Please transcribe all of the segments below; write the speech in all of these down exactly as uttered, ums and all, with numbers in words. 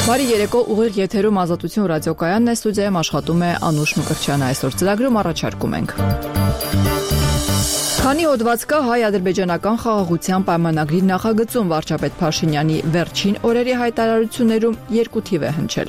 Բարի երեկո, ուղիղ եթերում Ազատություն ռադիոկայանն է, ստուդիայում աշխատում է Անուշ Մկրտչյանը, այսօր ծրագրում առաջարկում ենք. Քանի հոդված կա հայ-ադրբեջանական խաղաղության պայմանագրի նախագծում, վարչապետ Փաշինյանի վերջին օրերի հայտարարություններում երկու թիվ է հնչել.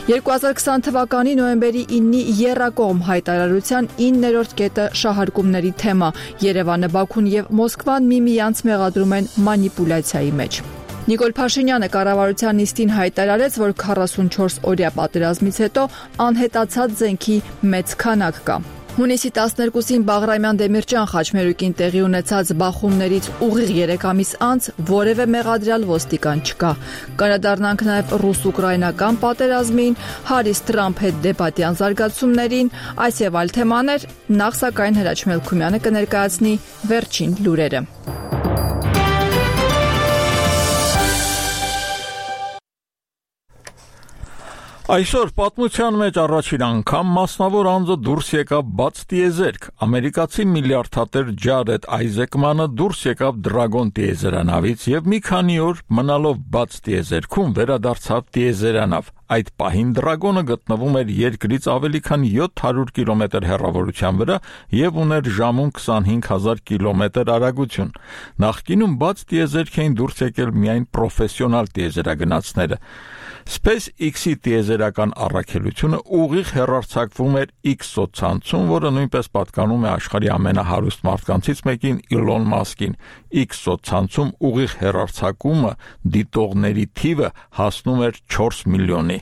երկու հազար քսան թվականի նոյեմբերի իննի եռակողմ հայտարարության իններորդ կետը շահարկումների թեմա, Երևանը, Բաքուն եւ Մոսկվան միմյանց մեղադրում են մանիպուլյացիայի մեջ. Նիկոլ Փաշինյանը կառավարության նիստին հայտարարեց, որ քառասունչորս օրյա պատերազմից հետո անհետացած զենքի մեծ քանակ կա. Հունիսի տասներկուսին Բաղրամյան Դեմիրճան խաչմերուկին տեղի ունեցած բախումներից ուղիղ երեք ամիս անց որևէ մեղադրյալ ոստիկան չկա. Կանդրադառնանք նաև ռուս-ուկրաինական պատերազմին, Հարիս Թրամփ հետ դեպատյան զարգացումներին, այս եւ այլ թեմաներ, նախ սակայն Հրաչ Մելքումյանը կներկայացնի վերջին լուրերը. Այսօր պատմության մեջ առաջին անգամ մասնավոր անձը դուրս եկավ բաց տիեզերք. ամերիկացի միլիարդատեր Ջարեդ Այզեկմանը դուրս եկավ Դրագոն տիեզերանավից եւ մի քանի օր մնալով բաց տիեզերքում վերադարձավ տիեզերանավ. Այդ պահին Դրագոնը գտնվում էր երկրից ավելի քան յոթ հարյուր կիլոմետր հեռավորության վրա եւ ուներ ժամում քսանհինգ հազար կիլոմետր արագություն. Նախկինում բաց տիեզերք էին դուրս եկել միայն պրոֆեսիոնալ տիեզերագնացները. SpaceX-ի տիեզերական առաքելությունը ուղիղ հեռարձակվում էր X ծոցցանցում, որը նույնպես պատկանում է աշխարհի ամենահարուստ մարդկանցից մեկին Իլոն Մասկին. X ծոցցանցում ուղիղ հեռարձակումը դիտողների թիվը հասնում էր չորս միլիոնի.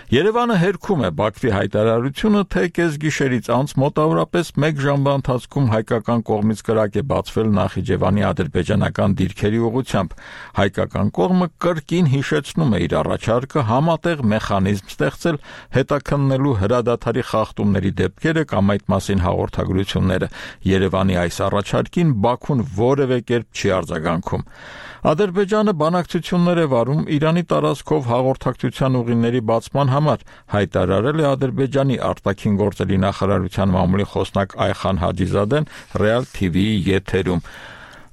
Երևանը հերքում է Բաքվի հայտարարությունը, թե կեսգիշերից անց մոտավորապես մեկ ժամվա ընթացքում հայկական կողմից կրակ է բացվել Նախիջևանի ադրբեջանական դիրքերի ուղղությամբ. Հայկական կողմը կրկին հիշեցնում է իր առաջարկը համատեղ մեխանիզմ ստեղծել հետաքննելու հրադադարի խախտումների դեպքերը կամ այդ մասին հաղորդագրությունները. Երևանի այս առաջարկին Բաքուն որևէ կերպ չի արձագանքում. Ադրբեջանը բանակցություններ է վարում Իրանի տարածքով հաղորդակցության ուղիների բացման համար, հայտարարել է Ադրբեջանի արտաքին գործերի նախարարության մամուլի խոսնակ Այխան Հաջիզադեն Real T V-ի եթերում.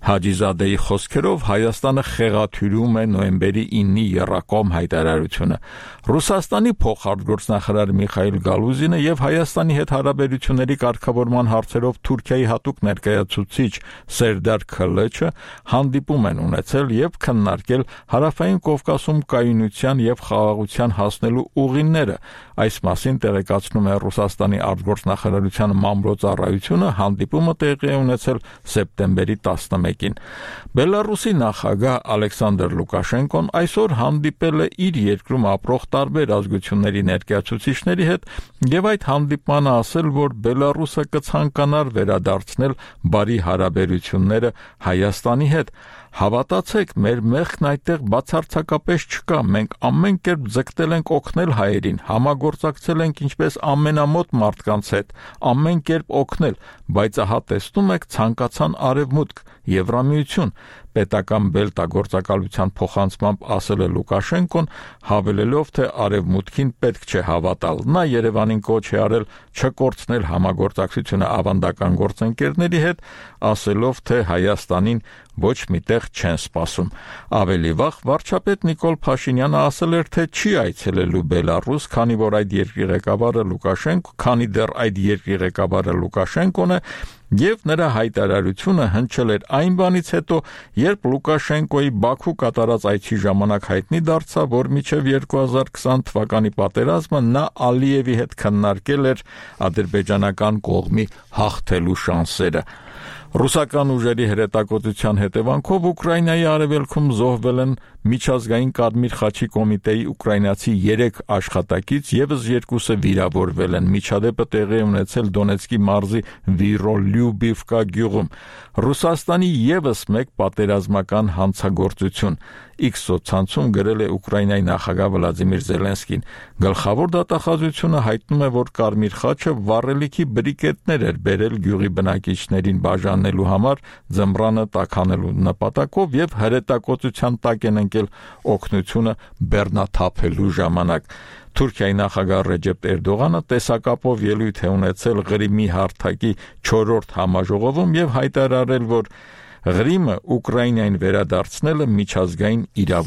Հաջիզադեի խոսքերով Հայաստանը խեղաթյուրում է նոյեմբերի իննի եռակողմ հայտարարությունը. Ռուսաստանի փոխարտգործնախարար Միխայիլ Գալուզինը եւ Հայաստանի հետ հարաբերությունների կարգավորման հարցերով Թուրքիայի հատուկ ներկայացուցիչ Սերդար Քլեչը հանդիպում են ունեցել եւ քննարկել Հարավային Կովկասում կայունության եւ խաղաղության հասնելու ուղիները. Այս մասին տեղեկացնում է Ռուսաստանի արտգործնախարարության մամլոյցարայությունը, հանդիպումը տեղի է ունեցել սեպտեմբերի տասնմեկին. Բելարուսի նախագահ Ալեքսանդր Լուկաշենկոն այսօր հանդիպել է իր երկրում ապրող տարբեր ազգությունների ներկայացուցիչների հետ եւ այդ հանդիպմանը ասել, որ Բելարուսը կցանկանար վերադարձնել բարի հարաբերությունները Հայաստանի հետ. Հավատացեք, մեր մեղքն այդտեղ բացարձակապես չկա, մենք ամեն կերպ ձգտել ենք օգնել հայերին, համագործակցել ենք ինչպես ամենամոտ մարդկանց հետ, ամեն կերպ օգնել, բայց ահա տեսնում եք ցանկացան արևմուտք, Եվրամիություն, պետական բելտագործակալության փոխանցմամբ ասել է Լուկաշենկոն, հավելելով, թե արևմուտքին պետք չէ հավատալ. Նա Երևանին կոչ է արել չկորցնել համագործակցությունը ավանդական գործընկերների հետ, ասելով, թե Հայաստանին ոչ միտեղ չեն սպասում. Ավելի վաղ վարչապետ Նիկոլ Փաշինյանը ասել էր, թե չի այցելելու Բելարուս, քանի որ այդ երկրի ղեկավարը Լուկաշենկո, քանի դեռ այդ երկրի ղեկավարը Լուկաշենկոն է, եւ նրա հայտարարությունը հնչել էր այն բանից հետո, երբ Լուկաշենկոյի Բաքու կատարած այցի ժամանակ հայտնի դարձավ, որ մինչև երկու հազար քսան թվականի պատերազմը նա Ալիևի հետ քննարկել էր ադրբեջանական կողմի հաղթելու շանսերը. Ռուսական ուժերի հրետակոծության հետևանքով Ուկրաինայի արևելքում զոհվել են միջազգային Կարմիր խաչի կոմիտեի ուկրաինացի երեք աշխատակից, եւս երկուսը վիրավորվել են. Միջադեպը տեղի է ունեցել Դոնեցկի մարզի Վիրոլյուբիվկա գյուղում. Ռուսաստանի եւս մեկ պատերազմական հանցագործություն. X սոցցանցում գրել է Ուկրաինայի նախագահ Վլադիմիր Զելենսկին. Գլխավոր դատախազությունը հայտնում է, որ Կարմիր խաչը վառելիքի բրիկետներ էր բերել գյուղի բնակիչներին բաժանելու համար ձմռանը տաքանելու նպատակով եւ հրետակոծության տակ են ընկել օգնությունը բեռնաթափելու ժամանակ. Թուրքիայի նախագահ Ռեջեփ Էրդողանը տեսակապով ելույթ է ունեցել Ղրիմի հարթակի չորրորդ համաժողովում եւ հայտարարել, որ Ղրիմը Ուկրաինային վերադարձնելը միջազգային իրավունք